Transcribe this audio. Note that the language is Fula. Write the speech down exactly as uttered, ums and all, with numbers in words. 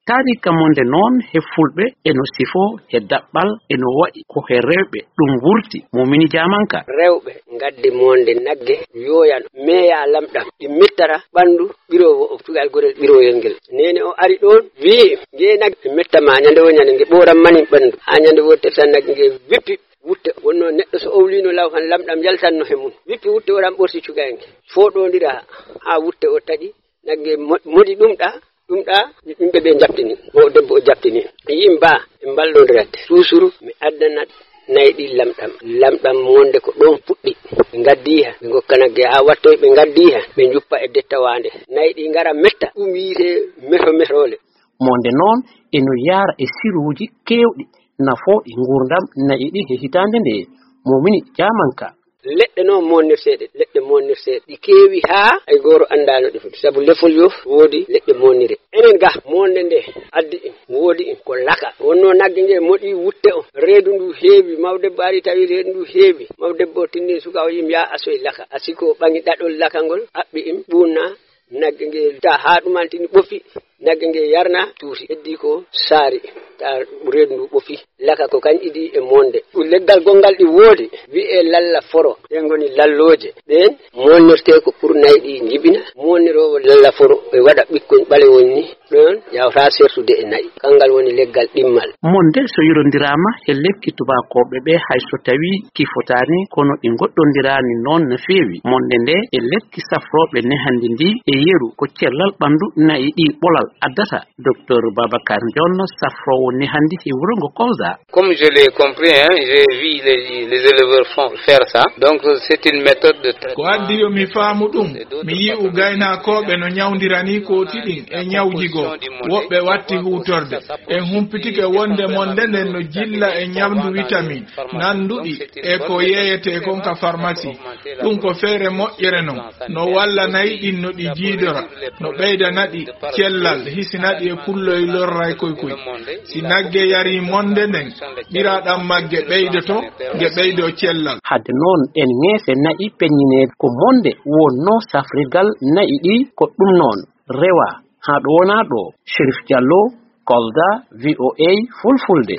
Taariika monde noon he fulɓe eno sifoo he daɓɓal eno waɗi ko he rewɓe ɗum wurti, Momini Jaamanka. Rewɓe ngaddi monde nagge yooyano meeya lamɗam, ɗi mettata ɓanndu ɓiroowo o, cukalel gorel ɓirooyel ngel. Neene o ari ɗoon, wi'i, "Ngee nagge metta ma ñande wo ñande, nge ɓooran mani ɓanndu." Haa ñande wootere tan nagge nge wippi wutte. Wonnoo neɗɗo so owliino law tan lamɗam yaltanno he mum. Wippi wutte o tan ɓorti cukalel ngel. Fooɗondira haa wutte o taƴi. Nagge mo-, moɗi ɗum ɗa, ɗum ɗa, yimɓe ɓe jaɓtini. O debbo o jaɓtini. Yimba, ɓe mballondirande. Suusuru, mi addanat nayi ɗi lamɗam. Lamɗam monde ko ɗoon puɗɗi. Ɓe ngaddi ha, ɓe ngokka nagge haa wattoy, ɓe ngaddi ha, ɓe njuppa e dettawaande. Nayi ɗi ngara metta, ɗum wiyetee meto metole. Monde noon eno yaara e siruuji keewɗi, nafooɗi nguurndam nayi ɗi he hitaande nde. Momini Jaamanka. Leɗɗe noon monnirteeɗe, leɗɗe monnirteeɗe. Ɗi keewi haa hay gooto anndaa no ɗi foti. Sabu lefol yof woodi leɗɗe monnire. Enen ga, monde nde addi en, woodi en ko laka. Wonnoo nagge nge moɗi wutte o. Reedu ndu heewi, mawdebbo ari tawi reedu ndu heewi. Mawdebbo o tinni suka o yim yaa asoy laka. Asiko ɓaŋi ɗaɗol laka ngol, aɓɓi im, ɓuunna nagge nge ta haa ɗumantini ɓofi. Nagge nge yarna tuuti. Heddi ko saari ta reedu ndu ɓofi. Laka ko kañ idi e monde. Ɗum leggal gonngal ɗi woodi, wi'ee lalla foro. Ɗeen ngoni lallooje. Ɗeen monnirtee ko pour nayi ɗi njibina. Monniroowo lalla foro e waɗa ɓikkoñ ɓalewol ni. Ɗoon yawta sertude e nayi. Kanngal woni leggal ɗimmal. Monde so yirondiraama e lekki tubaakooɓe ɓe, hay so tawii ki fotaani, kono ɗi ngoɗɗondiraani noon no feewi. Monde nde e lekki safrooɓe nehandi ndi e yeru ko cellal ɓanndu nayi ɗi ɓolal addata. Docteur Babacar Ndion, safroowo nehandi e wuro ngo Kolda. Comme je l'ai compris, hein, j'ai vu les, les éleveurs font, faire ça. Donc, c'est une méthode de traitement. Ko addi yo mi faamu ɗum, mi yi'u gaynakooɓe no ñawndirani kooti ɗin e ñawji goo. Woɓɓe watti huutorde. En humpitike wonde monde nden no jilla e ñamdu vitamin nanduɗi e ko yeeyetee kon ka pharmacie. Ɗum ko feere moƴƴere non. No walla nayi ɗin no ɗi jiidora, no ɓeydana ɗi cellal, hisina ɗi e kulloy lorray koy koy. Si nagge yarii monde nden, ɓiraaɗam magge ɓeydoto, nge ɓeydoo cellal. Hadde noon, ɗen ŋeese na'i peññineede ko monde wonnoo safrirgal na'i ɗi, ko ɗum noon rewaa haa ɗo wonaa ɗo. Chérif Diallo, Kolda, V O A Fulfulde.